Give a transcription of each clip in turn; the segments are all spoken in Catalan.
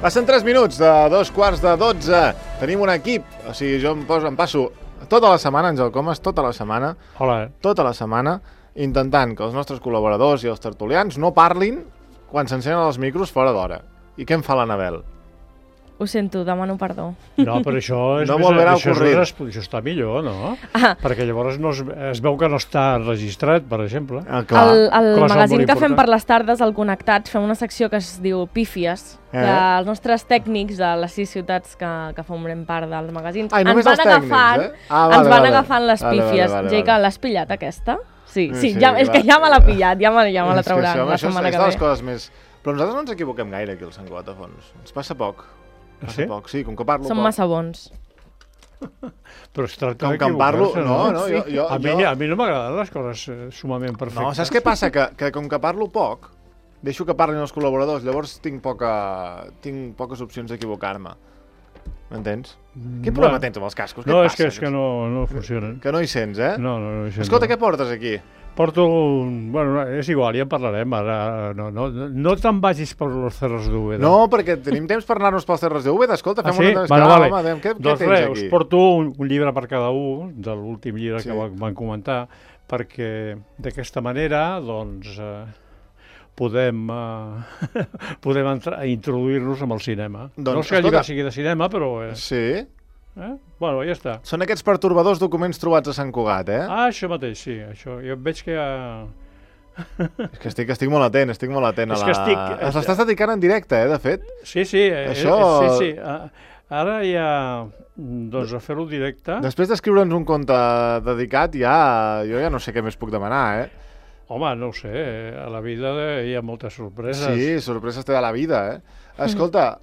Passen 3 minuts de 2:45. Tenim un equip, o sigui, jo em passo tota la setmana, Àngel Comas, tota la setmana, intentant que els nostres col·laboradors i els tertulians no parlin quan s'encenen els micros fora d'hora. I què em fa l'Anabel? Ho sento, demano perdó. No, però això és no això està millor, no? Perquè llavors es veu que no està registrat, per exemple. El magazín que fem per les tardes, al Connectats, fem una secció que es diu Pífies, que els nostres tècnics de les 6 ciutats que formem part dels magazins ens van agafant les pífies. Jaica, l'has pillat, aquesta? Sí, és que ja me l'ha pillat, ja me la traurà la setmana que ve. Les coses més... Però nosaltres no ens equivoquem gaire aquí al Sant Cugat, a fons. Ens passa poc. Sí? Poc, sí, com que parlo Som poc. massa bons. Però es tracta com que em parlo, a mi no m'agraden les coses sumament perfectes. No, saps què passa? Que com que parlo poc, deixo que parlin els col·laboradors, llavors tinc poques opcions d'equivocar-me. M'entens? Quin problema tens amb els cascos? No, és que no funcionen. Que no hi sents, eh? No hi sents. Escolta, què portes aquí? Porto bueno, és igual, ja en parlarem ara. No te'n vagis per los cerros de Úbeda. No, perquè tenim temps per anar-nos pels cerros de Úbeda. Escolta, fem una... Vale. Què tens aquí? Us porto un llibre per cada un, de l'últim llibre que van comentar, perquè d'aquesta manera, doncs, podem introduir-nos amb el cinema. No és que el llibre sigui de cinema, però... Sí? Bueno, ja està. Són aquests pertorbadors documents trobats a Sant Cugat, eh? Ah, això mateix, sí. Això. Jo veig que ja... És que estic molt atent, És que estic... L'estàs dedicant en directe, de fet. Sí. Això... Sí. Ara ja... Doncs a fer-ho directe... Després d'escriure'ns un conte dedicat, jo ja no sé què més puc demanar, eh? Home, no ho sé, a la vida hi ha moltes sorpreses. Sí, sorpreses té de la vida, eh? Escolta,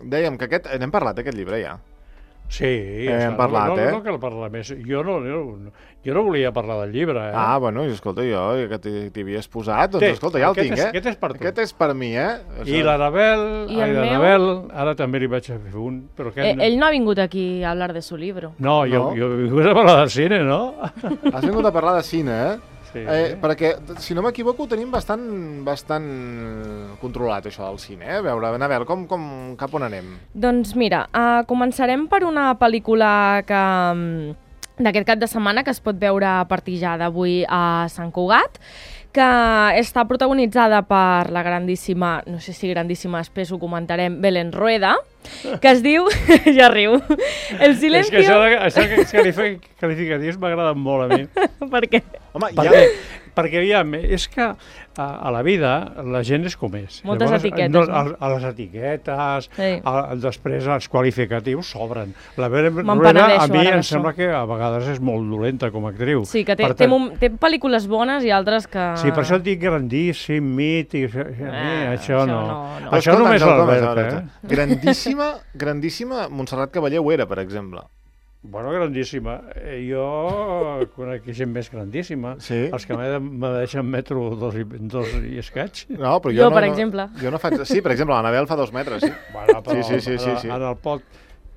dèiem que n'hem parlat d'aquest llibre ja. Sí, hem parlat, no cal parlar més. Jo no volia parlar del llibre, eh? Ah, bueno, escolta, jo que t'hi havies posat, doncs escolta, ja el tinc, eh? Aquest és per tu. Aquest és per mi, eh? I l'Anabel, ara també li vaig a fer un... Ell no ha vingut aquí a hablar de su libro. No, jo he vingut a parlar de cine, no? Has vingut a parlar de cine, eh? Sí. Perquè, si no m'equivoco, ho tenim bastant controlat, això del cine, eh? A veure, Anabel, cap on anem? Doncs mira, començarem per una pel·lícula d'aquest cap de setmana que es pot veure a partir ja d'avui a Sant Cugat, que està protagonitzada per la grandíssima, no sé si grandíssima, després ho comentarem, Belén Rueda, que es diu, ja riu, El silencio... És que això qualificatius m'agraden molt a mi. Per què? Home, perquè aviam, és que a la vida la gent és com és. Moltes etiquetes. A les etiquetes, després els qualificatius s'obren. La Belén Me'n Rueda a mi penedeixo em sembla que a vegades és molt dolenta com a actriu. Sí, que té pel·lícules bones i altres que... Sí, per això et dic grandíssim, mític, això no. Això només l'Albert, eh? Grandíssima Montserrat Cavallé ho era, per exemple. Bueno, grandíssima. Jo conec gent més grandíssima. Sí? Els que me deixen metro dos i escaig. No, però jo per exemple. Jo no faig... Sí, per exemple, l'Anabel fa 2 metres, sí. Bueno, però sí. En el pot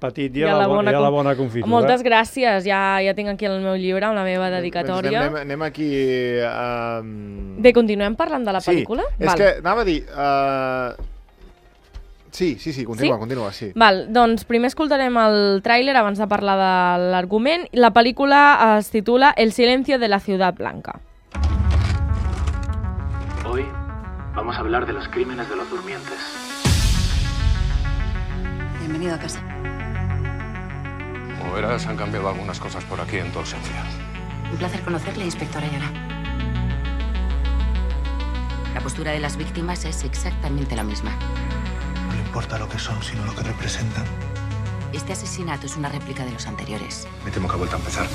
petit hi ha la bona confitura. Moltes gràcies. Ja tinc aquí el meu llibre amb la meva dedicatòria. Anem aquí... Bé, continuem parlant de la pel·lícula? Sí, és que anava a dir... Sí, continua, sí. Val, doncs primer escoltarem el tràiler abans de parlar de l'argument. La pel·lícula es titula El silencio de la ciudad blanca. Hoy vamos a hablar de los crímenes de los durmientes. Bienvenido a casa. Como verás, han cambiado algunas cosas por aquí en tu ausencia. Un placer conocerle, inspector Ayala. La postura de las víctimas es exactamente la misma. No le importa lo que son, sino lo que representan. Este asesinato es una réplica de los anteriores. Me temo que ha vuelto a empezar.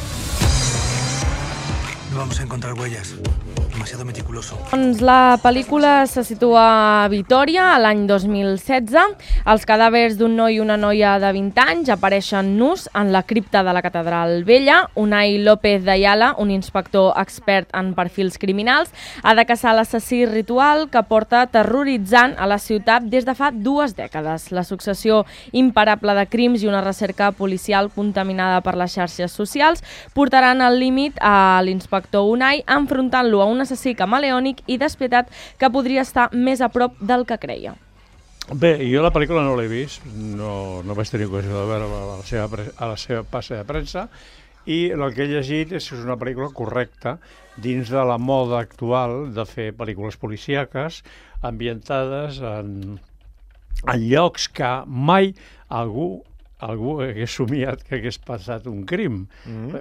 No vamos a encontrar huellas. Demasiado meticuloso. Doncs la pel·lícula se situa a Vitòria, a l'any 2016. Els cadàvers d'un noi i una noia de 20 anys apareixen nus en la cripta de la Catedral Vella. Unai López de Ayala, un inspector expert en perfils criminals, ha de caçar l'assassí ritual que porta terroritzant a la ciutat des de fa 2 dècades. La successió imparable de crims i una recerca policial contaminada per les xarxes socials portaran al límit a l'inspector Unai, enfrontant-lo a un assassí camaleònic i despietat que podria estar més a prop del que creia. Bé, jo la pel·lícula no l'he vist, no vaig tenir ocasió de veure a la seva passa de premsa, i el que he llegit és que és una pel·lícula correcta dins de la moda actual de fer pel·lícules policíaques ambientades en llocs que mai algú hagués somiat que hagués passat un crim.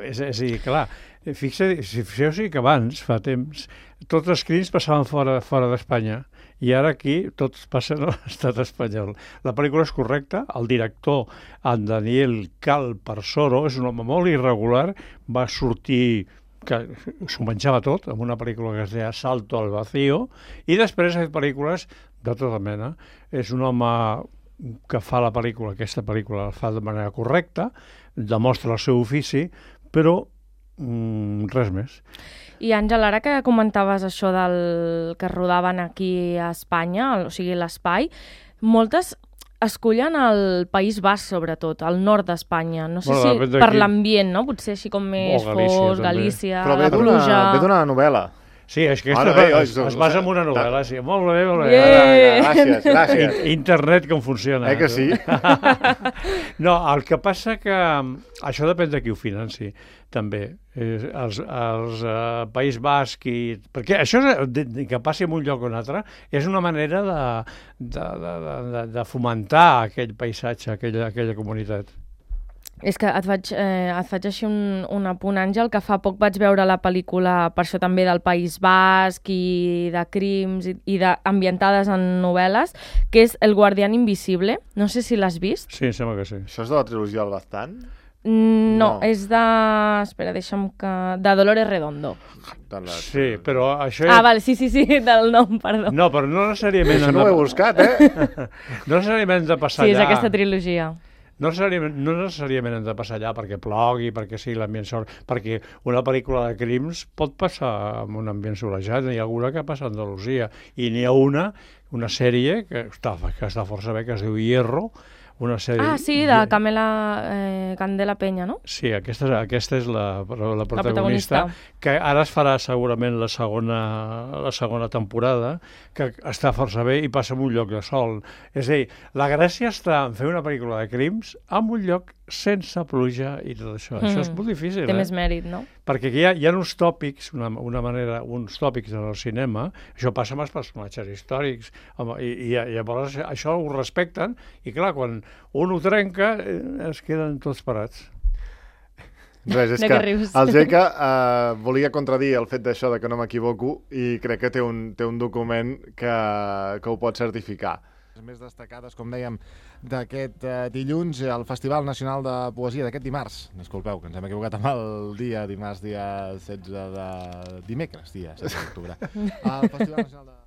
És a dir, clar, fixeu-vos que abans, fa temps, tots els crims passaven fora d'Espanya, i ara aquí tots passen a l'estat espanyol. La pel·lícula és correcta, el director, en Daniel Calparsoro, és un home molt irregular, va sortir que s'ho menjava tot, amb una pel·lícula que es deia Salto al Vacío, i després ha fet pel·lícules de tota mena. És un home que fa la pel·lícula, aquesta pel·lícula la fa de manera correcta, demostra el seu ofici, però res més. I Àngel, ara que comentaves això del que rodaven aquí a Espanya, o sigui, l'espai, moltes escollen el País Basc, sobretot, al nord d'Espanya. No sé si per l'ambient, no? Potser així com més fosc, Galícia, la pluja... Però ve d'una novel·la. Sí, és que es basa en una novel·la, sí. Molt bé, molt bé. Gràcies. Internet com funciona. Que sí? No, el que passa que això depèn de qui ho financi, també. Els País Basc perquè això que passi en un lloc o un altre és una manera de fomentar aquell paisatge, aquella comunitat. És que et faig així un apunt, Àngel, que fa poc vaig veure la pel·lícula, per això també del País Basc i de crims i ambientades en novel·les, que és El guardián invisible. No sé si l'has vist. Sí, sembla que sí. Això és de la trilogia del Baztán? No, és de... Espera, deixa'm que... De Dolores Redondo. Sí, però això... Vale, sí, del nom, perdó. No, però no necessàriament... Això no ho he buscat, No necessàriament de passar allà... Sí, és aquesta trilogia. No necessàriament hem de passar allà perquè plogui, perquè sigui l'ambient sol, perquè una pel·lícula de crims pot passar en un ambient solejat, n'hi ha alguna que passa a Andalusia, i n'hi ha una sèrie que està força bé, que es diu Hierro, una sèrie... sí, de Candela Peña, no? Sí, aquesta és la protagonista, que ara es farà segurament la segona temporada, que està força bé i passa en un lloc de sol. És a dir, la gràcia està en fer una pel·lícula de crims en un lloc sense pluja i tot això. Això és molt difícil, Té més mèrit, no? Perquè hi ha uns tòpics, uns tòpics en el cinema, això passa amb els personatges històrics, i llavors això ho respecten, i clar, quan un ho trenca, es queden tots parats. Res, és que el Geca volia contradir el fet d'això, de que no m'equivoco, i crec que té un document que ho pot certificar. Les més destacades, com dèiem, d'aquest dilluns, el Festival Nacional de Poesia d'aquest dimarts. Disculpeu, que ens hem equivocat amb el dia, dimarts, dia 16 de... Dimecres, dia 16 d'octubre. El Festival Nacional de...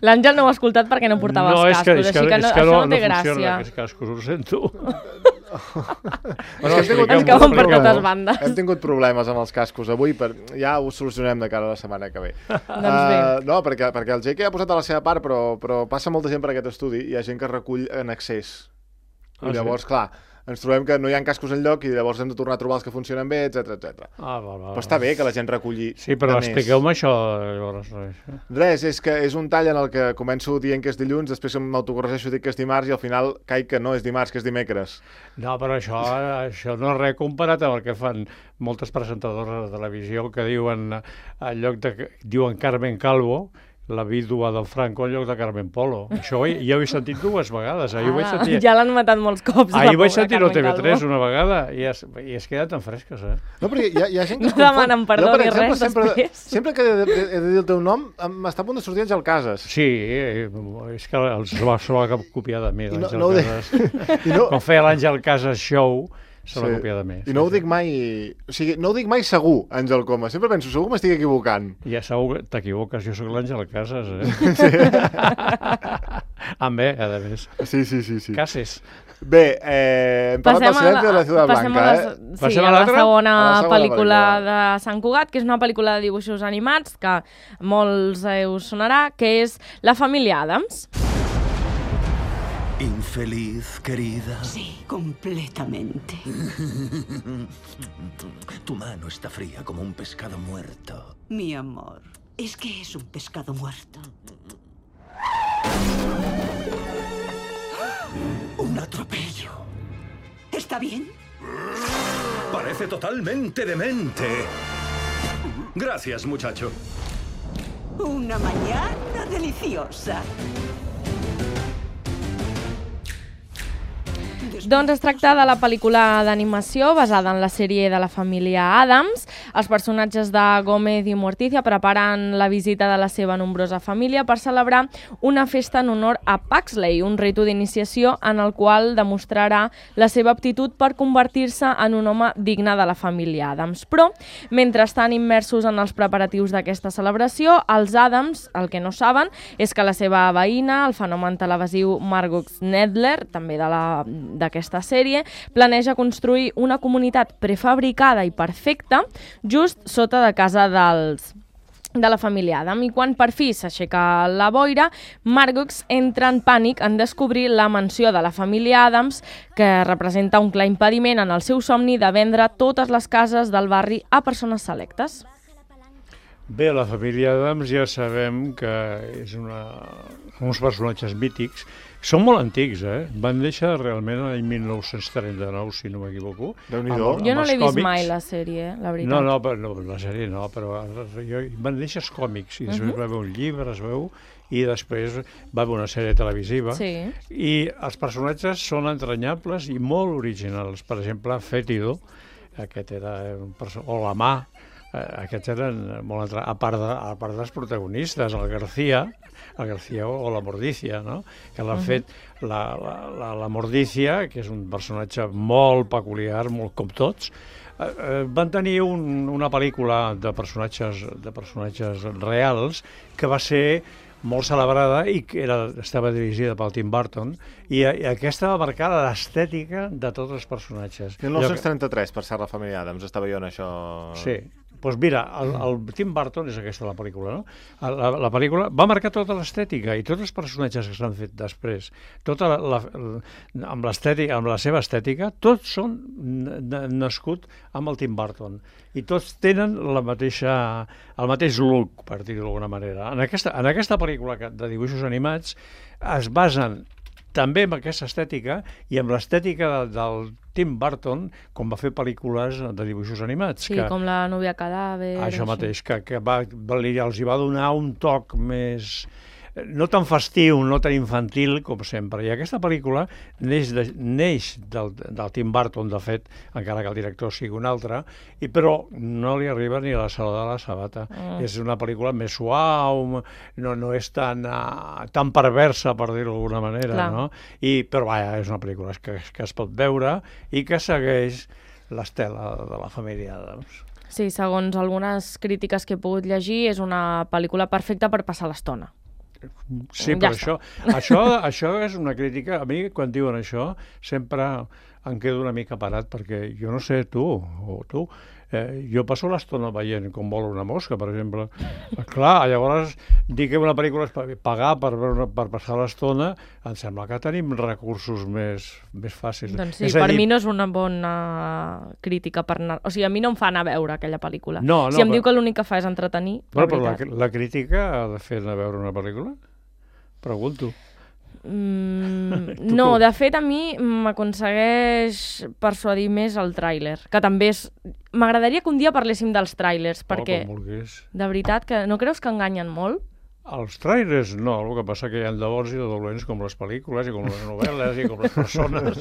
L'Àngel no ho ha escoltat perquè no portava els cascos, així que això no té gràcia. No funciona aquests cascos, ho sento. Ens cauen per totes bandes. Hem tingut problemes amb els cascos avui, ja ho solucionem de cara a la setmana que ve. Doncs bé. No, perquè el Jake ha posat de la seva part, però passa molta gent per aquest estudi, hi ha gent que recull en excés. I llavors, clar, ens trobem que no hi ha cascos enlloc i llavors hem de tornar a trobar els que funcionen bé, etc. Però està bé que la gent reculli. Sí, però expliqueu-me això. Res, és que és un tall en el que començo dient que és dilluns, després m'autocorregeixo i dic que és dimarts i al final caic que no és dimarts, que és dimecres. No, però això no és res comparat amb el que fan moltes presentadores de televisió que diuen, en lloc de... diuen Carmen Calvo, la vídua del Franco en lloc de Carmen Polo. Això ja ho he sentit dues vegades. Ja l'han matat molts cops. Ahir vaig sentir-ho a TV3 una vegada i es queda tan fresques, No, però hi ha gent que no demanen perdó ni res després. Sempre que he de dir el teu nom, m'està a punt de sortir Àngel Casas. Sí, és que se va copiar de mi, l'Àngel Casas. Quan feia l'Àngel Casas Show, se l'ha copiat de mi. I no ho dic mai... O sigui, no ho dic mai segur, Àngel Coma. Sempre penso, segur m'estic equivocant. Ja segur que t'equivoques, jo sóc l'Àngel Casas, Sí. Amb bé, a més. Sí. Cases. Bé, hem parlat del silenci de la Ciutat Blanca, Sí, a la segona pel·lícula de Sant Cugat, que és una pel·lícula de dibuixos animats, que molts us sonarà, que és La família Addams. ¿Infeliz, querida? Sí, completamente. Tu mano está fría como un pescado muerto. Mi amor, es que es un pescado muerto. atropello. ¿Está bien? Parece totalmente demente. Gracias, muchacho. Una mañana deliciosa. Doncs es tracta de la pel·lícula d'animació basada en la sèrie de la família Addams. Els personatges de Gómez i Morticia preparen la visita de la seva nombrosa família per celebrar una festa en honor a Pugsley, un ritu d'iniciació en el qual demostrarà la seva aptitud per convertir-se en un home digne de la família Addams. Però, mentre estan immersos en els preparatius d'aquesta celebració, els Addams, el que no saben, és que la seva veïna, el fenomen televisiu Margot Knedler, també d'aquesta sèrie, planeja construir una comunitat prefabricada i perfecta just sota de casa de la família Adam. I quan per fi s'aixeca la boira, Margot entra en pànic en descobrir la mansió de la família Addams, que representa un clar impediment en el seu somni de vendre totes les cases del barri a persones selectes. Bé, la família Addams ja sabem que és uns personatges mítics. Són molt antics, Van néixer realment l'any 1939, si no m'equivoco. Déu-n'hi-do. Jo no l'he vist mai, la sèrie, la veritat. No, la sèrie no, però van néixer els còmics, i després va haver un llibre, es veu, i després va haver una sèrie televisiva. Sí. I els personatges són entranyables i molt originals. Per exemple, Fétido, aquest era o la mà, aquests eren molt a part dels protagonistes, el García o la Mordicia, no? Que l'ha fet la Mordicia, que és un personatge molt peculiar, molt com tots. Van tenir una pel·lícula de personatges reals que va ser molt celebrada i que estava dirigida pel Tim Burton, i aquesta va marcar l'estètica de tots els personatges. 1933, per ser la família Addams, estava jo en això... Sí. Doncs mira, el Tim Burton és aquesta la pel·lícula, no? La pel·lícula va marcar tota l'estètica i tots els personatges que s'han fet després, amb l'estètica, amb la seva estètica, tots són nascuts amb el Tim Burton i tots tenen el mateix look, per dir-ho d'alguna manera. En aquesta pel·lícula de dibuixos animats es basen també amb aquesta estètica i amb l'estètica del Tim Burton, com va fer pel·lícules de dibuixos animats. Sí, com La núvia cadàver... Això mateix, que els hi va donar un toc més... no tan festiu, no tan infantil com sempre. I aquesta pel·lícula neix del Tim Burton, de fet, encara que el director sigui un altre, però no li arriba ni a la Saló de la Sabata. És una pel·lícula més suau, no és tan perversa, per dir-ho d'alguna manera, no? Però vaja, és una pel·lícula que es pot veure i que segueix l'estela de la família Addams. Sí, segons algunes crítiques que he pogut llegir, és una pel·lícula perfecta per passar l'estona. Sí, però això és una crítica. A mi, quan diuen això, sempre em quedo una mica parat, perquè jo no sé tu, jo passo l'estona veient com vola una mosca, per exemple. Clar, llavors, dir que una pel·lícula és pagar per passar l'estona, em sembla que tenim recursos més fàcils. Doncs sí, per mi no és una bona crítica per anar... O sigui, a mi no em fa anar a veure aquella pel·lícula. Si em diu que l'únic que fa és entretenir, la veritat. Però la crítica ha de fer anar a veure una pel·lícula? Pregunto. No, de fet a mi m'aconsegueix persuadir més el tràiler, que també és... M'agradaria que un dia parléssim dels tràilers, perquè de veritat que no creus que enganyen molt? Els trailers no, el que passa que hi ha de bons i de dolents com les pel·lícules i com les novel·les i com les persones.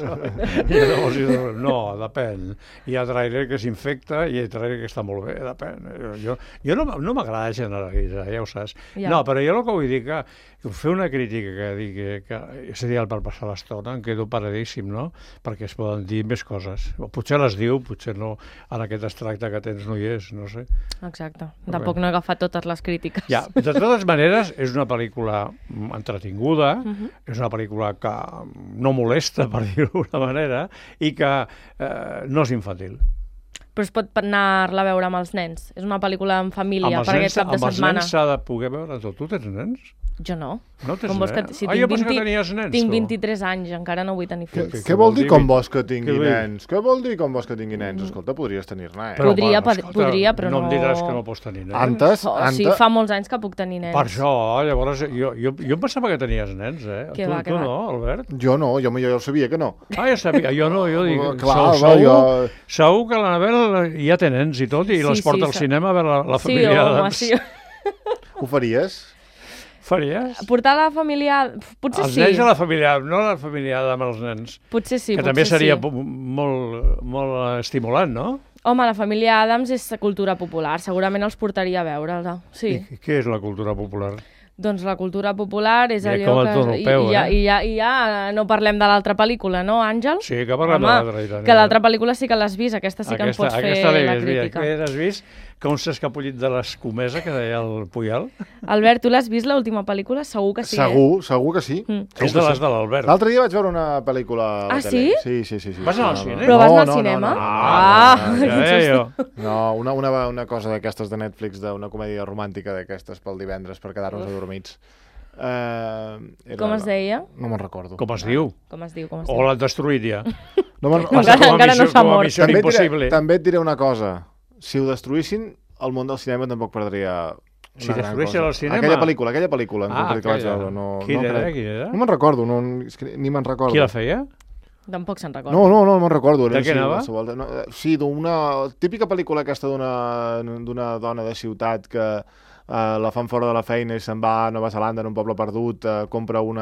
No, depèn. Hi ha trailer que s'infecta i hi ha trailer que està molt bé, depèn. Jo no m'agrada generalitzar, ja ho saps. No, però jo el que vull dir que fer una crítica que digui que és ideal per passar l'estona, em quedo paradíssim, no? Perquè es poden dir més coses. Potser les diu, potser no, en aquest extracte que tens no hi és, no sé. Exacte. Tampoc no he agafat totes les crítiques. Ja, de totes maneres, és una pel·lícula entretinguda, és una pel·lícula que no molesta, per dir-ho d'alguna manera, i que no és infantil. però es pot anar-la a veure amb els nens. És una pel·lícula en família, per aquest cap de setmana. Amb els nens s'ha de poder veure tot. Tu tens nens? Jo no. No tens nens? Si jo pensava que tenies nens. Tinc 23 anys, encara no vull tenir fills. Què vol dir com vols que tingui nens? Què vol dir com vols que tingui nens? Escolta, podries tenir-ne, Podria, però no... No em diràs que no pots tenir nens. Antes? Sí, fa molts anys que puc tenir nens. Per això, llavors, jo em pensava que tenies nens, eh? Tu no, Albert? Jo no, jo ja sabia que no. Ja sabia, jo no, jo dic... Segur que l'Anabel ja té nens i tot, i les porta al cinema a veure la família Adams. Sí, home, Ho faries? Faries? Portar la família... Potser sí. Els nens a la família, no la família amb els nens. Potser sí, que també seria molt estimulant, no? Home, la família Adams és cultura popular, segurament els portaria a veure-la, sí. I què és la cultura popular? Doncs la cultura popular és allò com el europeu, I ja no parlem de l'altra pel·lícula, no, Àngel? Sí, que parlem de l'altra. Que l'altra pel·lícula sí que l'has vist, aquesta sí que en pots fer la crítica. Aquesta l'has vist? Com s'ha escapollit de l'escomesa, que deia el Puyal? Albert, tu l'has vist, l'última pel·lícula? Segur que sí, Segur que sí. És de les de l'Albert. L'altre dia vaig veure una pel·lícula a la tele. Sí? Sí. Vas anar al cine? Però vas anar al cinema? No, una cosa d'aquestes de Netflix, d'una comèdia romàntica d'aquestes pel divendres per quedar-nos adormits. Com es deia? No me'n recordo. Com es diu? O l'han destruït ja? Encara no s'ha mort. També et diré una cosa. Si ho destruïssin, el món del cinema tampoc perdria una gran cosa. Si destruïssin el cinema? Aquella pel·lícula. Quina era? No me'n recordo, ni me'n recordo. Qui la feia? Tampoc se'n recorda. No me'n recordo. De què anava? Sí, d'una típica pel·lícula aquesta d'una dona de ciutat que la fan fora de la feina i se'n va a Nova Zelanda en un poble perdut, compra un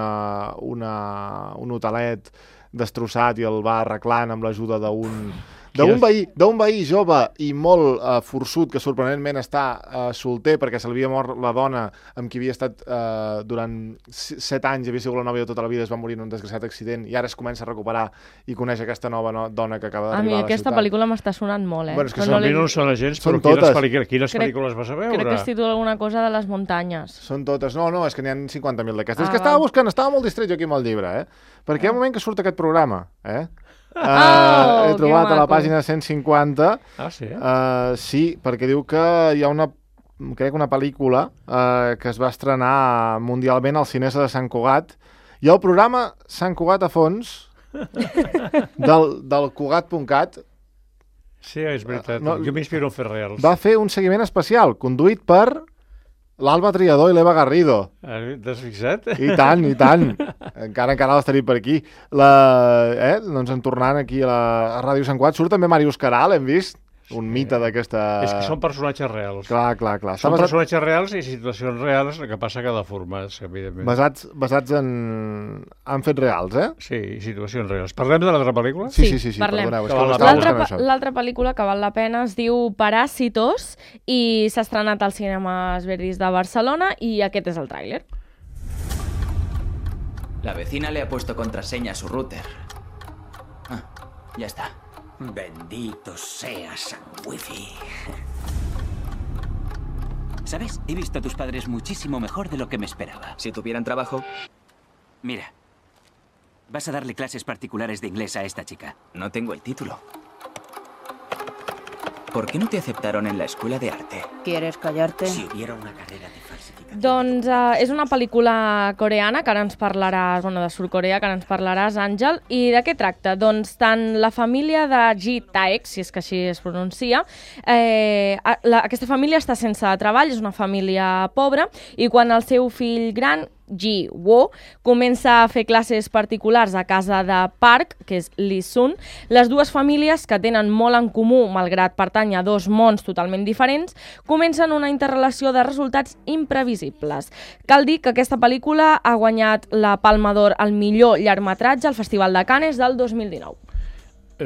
hotelet destrossat i el va arreglant amb l'ajuda d'un veí jove i molt forçut, que sorprenentment està solter perquè se li havia mort la dona amb qui havia estat durant 7 anys, havia sigut la nòvia de tota la vida, es va morir en un desgraciat accident i ara es comença a recuperar i coneix aquesta nova dona que acaba d'arribar a la ciutat. A mi aquesta pel·lícula m'està sonant molt, Bueno, és que a mi no són agents, però quines pel·lícules vas a veure? Crec que es titula alguna cosa de les muntanyes. Són totes. No, és que n'hi ha 50.000 d'aquestes. És que estava buscant, estava molt distret jo aquí amb el llibre, perquè hi ha un moment que surt aquest programa, he trobat a la pàgina 150. Sí? Sí, perquè diu que hi ha una pel·lícula que es va estrenar mundialment al Cinesa de Sant Cugat, i el programa Sant Cugat a fons del Cugat.cat. Sí, és veritat. Jo m'inspiro en fer reals. Va fer un seguiment especial, conduït per l'Alba Triador i l'Eva Garrido. T'has fixat? I tant. Encara l'has tenit per aquí. Doncs en tornant aquí a Ràdio Sant Cugat, surt també Màrius Caral, hem vist? Un mite d'aquesta... És que són personatges reals. Clar. Són personatges reals i situacions reals, el que passa que deformats, evidentment. Basats en fets reals, Sí, situacions reals. Parlem de l'altra pel·lícula? Sí, parlem. L'altra pel·lícula que val la pena es diu Parásitos i s'ha estrenat als cinemes Verdis de Barcelona i aquest és el tràiler. La vecina le ha puesto contraseña a su router. Ya está. Bendito sea San Wifi. ¿Sabes? He visto a tus padres muchísimo mejor de lo que me esperaba. Si tuvieran trabajo... Mira, vas a darle clases particulares de inglés a esta chica. No tengo el título. ¿Por qué no te aceptaron en la escuela de arte? ¿Quieres callarte? Si hubiera una carrera de falsificación... Doncs és una pel·lícula coreana que ara ens parlaràs, de Sud-Corea, que ara ens parlaràs, Àngel. I de què tracta? Doncs tant la família de Ji Taek, si és que així es pronuncia, aquesta família està sense treball, és una família pobra, i quan el seu fill gran, Ji Wo, comença a fer classes particulars a casa de Park, que és Lee Sun, les dues famílies, que tenen molt en comú, malgrat pertany a dos mons totalment diferents, comencen una interrelació de resultats imprevisibles. Cal dir que aquesta pel·lícula ha guanyat la Palma d'Or al millor llargmetratge al Festival de Cannes del 2019.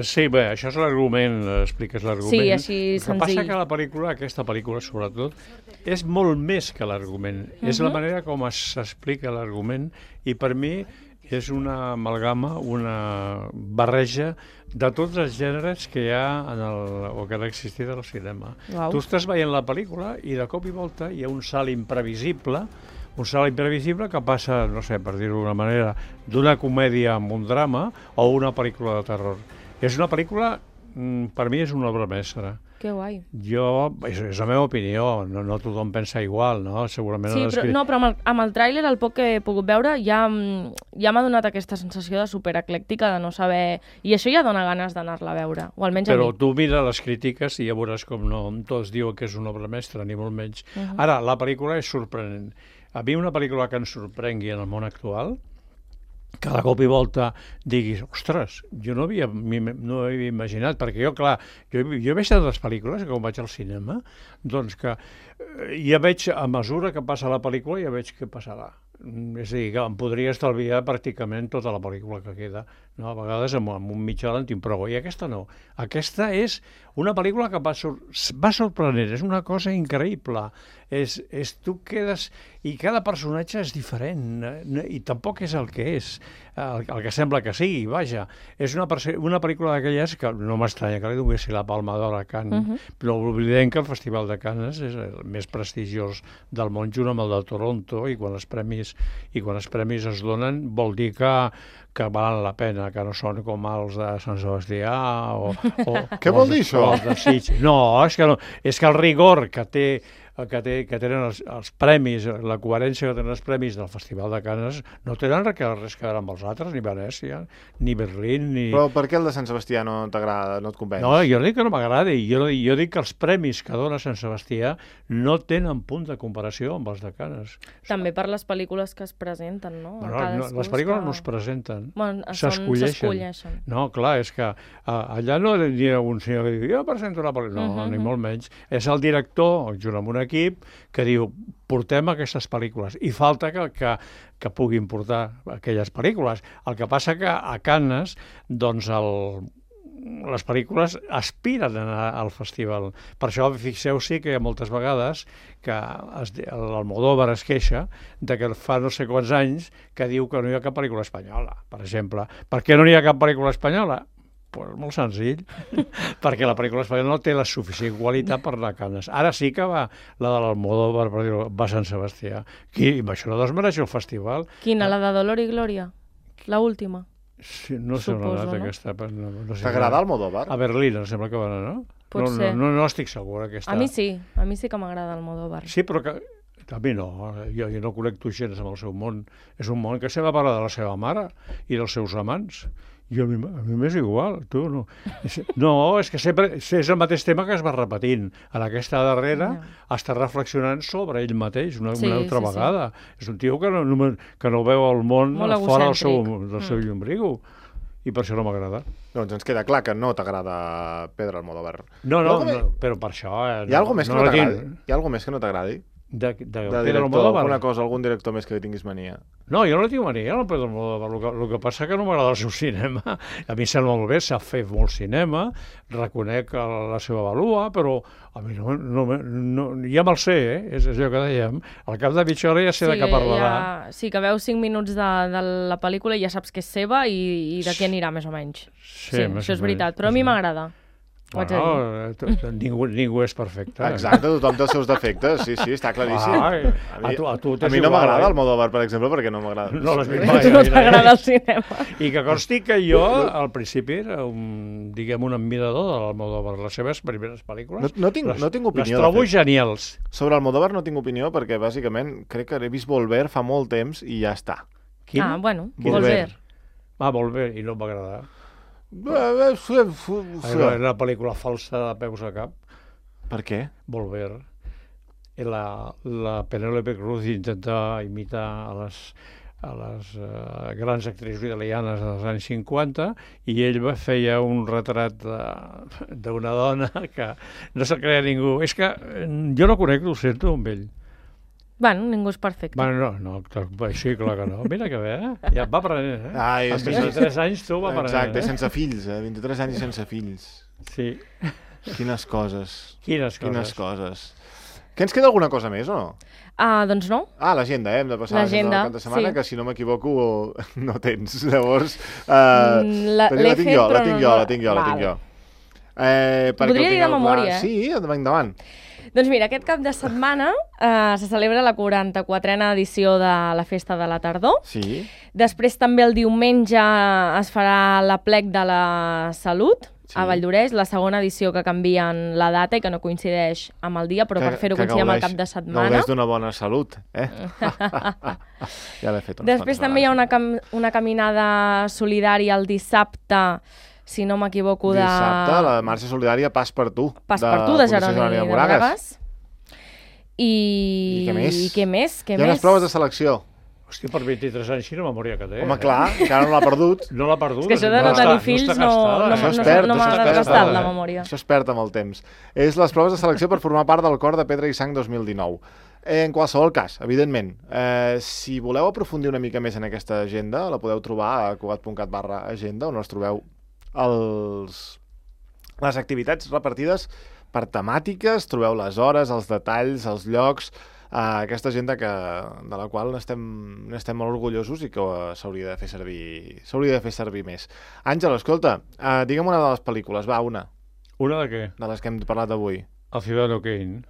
Sí, bé, això és l'argument, expliques l'argument. Sí, així senzill. El que passa que aquesta pel·lícula, sobretot, és molt més que l'argument. És la manera com s'explica l'argument i per mi és una amalgama, una barreja de tots els gèneres que hi ha o que han existit al cinema. Wow. Tu estàs veient la pel·lícula i de cop i volta hi ha un salt imprevisible que passa, no sé, per dir-ho d'una manera, d'una comèdia amb un drama o una pel·lícula de terror. És una pel·lícula per mi és una obra mestra. Que guai. És la meva opinió, no tothom pensa igual, no? Segurament... Sí, però amb el tràiler, el poc que he pogut veure, ja m'ha donat aquesta sensació de supereclèctica, de no saber... I això ja dona ganes d'anar-la a veure, o almenys a mi. Però tu mira les crítiques i ja veuràs com no tots diuen que és una obra mestra, ni molt menys. Ara, la pel·lícula és sorprenent. A mi una pel·lícula que ens sorprengui en el món actual, que de cop i volta diguis, ostres, jo no havia imaginat, perquè jo, clar, jo he vist les pel·lícules, que quan vaig al cinema, doncs que ja veig, a mesura que passa la pel·lícula, ja veig què passarà. És a dir, que em podria estalviar pràcticament tota la pel·lícula que queda. No? A vegades amb un mitja hora en tinc prou, i aquesta no. Aquesta és una pel·lícula que va sorprenent, és una cosa increïble. Tu quedes... I cada personatge és diferent, i tampoc és el que és, el que sembla que sigui, vaja. És una pel·lícula d'aquelles que no m'estranya que li donessin la Palma d'Or a Cannes, però oblidem que el Festival de Cannes és el més prestigiós del món, junt amb el de Toronto, i quan els premis es donen vol dir que valen la pena, que no són com els de Sant Sebastià o què vol dir això? No, és que el rigor que tenen els premis, la coherència que tenen els premis del Festival de Cannes, no tenen res que veure amb els altres, ni Venècia, ni Berlín, ni... Però per què el de Sant Sebastià no t'agrada, no et convenç? No, jo dic que no m'agradi, jo dic que els premis que dona Sant Sebastià no tenen punt de comparació amb els de Cannes. També per les pel·lícules que es presenten, no? Les pel·lícules no es presenten, s'escolleixen. No, clar, és que allà no hi ha un senyor que diu, jo presento una pel·lícula, no, ni molt menys. És el director, junt amb un equip, que diu, portem aquestes pel·lícules, i falta que puguin portar aquelles pel·lícules. El que passa que a Cannes, doncs, les pel·lícules aspiren a anar al festival. Per això, fixeu-s'hi que moltes vegades que l'Almodóvar es queixa de que fa no sé quants anys que diu que no hi ha cap pel·lícula espanyola, per exemple. Per què no hi ha cap pel·lícula espanyola? Pues molt senzill, perquè la pel·lícula espanyola no té la suficient qualitat per anar a Cannes. Ara sí que va la de l'Almodóvar, va a Sant Sebastià. I això no desmereix el festival. Quina, la de Dolor i Glòria? L'última? Sí, no sé on ha anat aquesta. T'agrada Almodóvar? A Berlín, em sembla que va anar, no? Pot ser. No estic segur. A mi sí que m'agrada Almodóvar. Sí, però que... A mi no, jo no connecto gens amb el seu món. És un món que sempre parla de la seva mare i dels seus amants. I a mi m'és igual, tu no. No, és que sempre és el mateix tema que es va repetint. En aquesta darrera està reflexionant sobre ell mateix una altra vegada. És un tio que no veu el món fora del seu llombriu. I per això no m'agrada. Doncs ens queda clar que no t'agrada Pedro Almodóvar. No, però per això... Hi ha alguna més que no t'agradi? Hi ha alguna més que no t'agradi? De Pedro Almodóvar? Alguna cosa, algun director més que tinguis mania? No, jo no tinc mania al Pedro Almodóvar. El que passa que no m'agrada el seu cinema. A mi sembla molt bé, s'ha fet molt cinema, reconec la seva valua, però a mi no ja me'l sé, és allò que dèiem. Al cap de mitja hora ja sé de què parlarà. Sí, que veus 5 minuts de la pel·lícula i ja saps que és seva i de què anirà, més o menys. Sí, això és veritat, però a mi m'agrada. Ningú és perfecte. Exacte, tothom té els seus defectes, sí, està claríssim. A mi no m'agrada Almodóvar, per exemple, perquè no m'agrada. No t'agrada el cinema. I que consti que jo, al principi, era un admirador de l'Almodóvar. Les seves primeres pel·lícules no tinc opinió. Les trobo genials. Sobre Almodóvar no tinc opinió perquè, bàsicament, crec que he vist Volver fa molt temps i ja està. Quina? Volver. Volver, i no em va agradar. Una pel·lícula falsa de peus a cap. Per què? Volver. La Penélope Cruz intenta imitar a les grans actrius italianes dels anys 50 i ell feia un retrat d'una dona que no se'l creia ningú. És que jo no connecto, ho sento, amb ell. Bueno, ningú és perfecte. Bueno, no, sí, clar que no. Mira que bé, Ja va aprenent, Amb 23 anys tu va aprenent. Exacte, sense fills, 23 anys i sense fills. Sí. Quines coses. Quines coses. Que ens queda alguna cosa més, o no? Doncs no. L'agenda, hem de passar l'agenda del cap de setmana, que si no m'equivoco no tens. Llavors, la tinc jo. Podria dir de memòria, Sí, endavant. Doncs mira, aquest cap de setmana se celebra la 44a edició de la Festa de la Tardor. Sí. Després també el diumenge es farà l'Aplec de la Salut. a Valldoreix, la segona edició que canvien la data i que no coincideix amb el dia, però per fer-ho coincidir amb el cap de setmana. Gaudeix d'una bona salut, Ja l'he fet Després també hi ha una caminada solidària el dissabte, si no m'equivoco, Dissabte, la marxa solidària Pas per tu. Pas per tu, de Jeroni de Moragas. I què més? Hi ha unes proves de selecció. Hòstia, per 23 anys, quina memòria que té. Home, clar, encara no l'ha perdut. No l'ha perdut. És que això de no tenir fills no m'ha gastat la memòria. Això es perd amb el temps. És les proves de selecció per formar part del Cor de Pedra i Sang 2019. En qualsevol cas, evidentment, si voleu aprofundir una mica més en aquesta agenda, la podeu trobar a cugat.cat/agenda, on us trobeu les activitats repartides per temàtiques, trobeu les hores, els detalls, els llocs, aquesta agenda de la qual n'estem molt orgullosos i que s'hauria de fer servir més. Àngel, escolta, digue'm una de les pel·lícules, va, una. Una de què? De les que hem parlat avui. El Ciudadano Kane.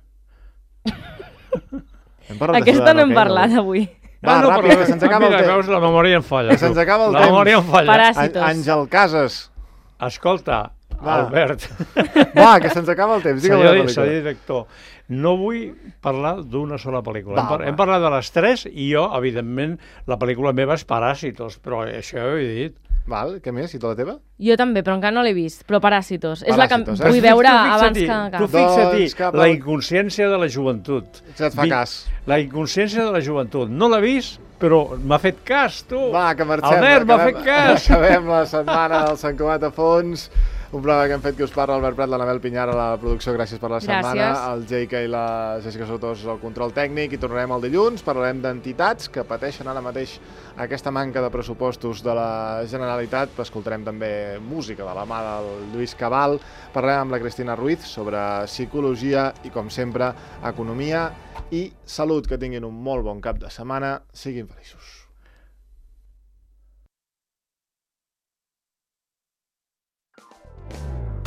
Aquesta no hem parlat avui. Va, ràpid, que se'ns acaba el temps. Veus, la memòria em falla. Que se'ns acaba el temps. La memòria em falla. Paràsitos. Àngel Casas. Escolta, Albert. Va, que se'ns acaba el temps. Senyor director, no vull parlar d'una sola pel·lícula. Hem parlat de les 3 i jo, evidentment, la pel·lícula meva és Paràsitos, però això ja ho he dit. Val, què més? I tota la teva? Jo també, però encara no l'he vist, però Paràsitos. És la que vull veure abans que acabi. Tu fixa't, la inconsciència de la joventut. Ja et fa cas. La inconsciència de la joventut. No l'ha vist, però m'ha fet cas, tu. Va, que marxem. Albert, m'ha fet cas. Acabem la setmana del Sant Cugat a fons. Un programa que hem fet que us parla Albert Prat, l'Anabel Pinyar a la producció, gràcies per la setmana, el Jaica i la Jessica Sotós al control tècnic, i tornarem el dilluns, parlarem d'entitats que pateixen ara mateix aquesta manca de pressupostos de la Generalitat, escoltarem també música de la mà del Lluís Cabal, parlarem amb la Cristina Ruiz sobre psicologia i, com sempre, economia i salut. Que tinguin un molt bon cap de setmana, siguin feliços.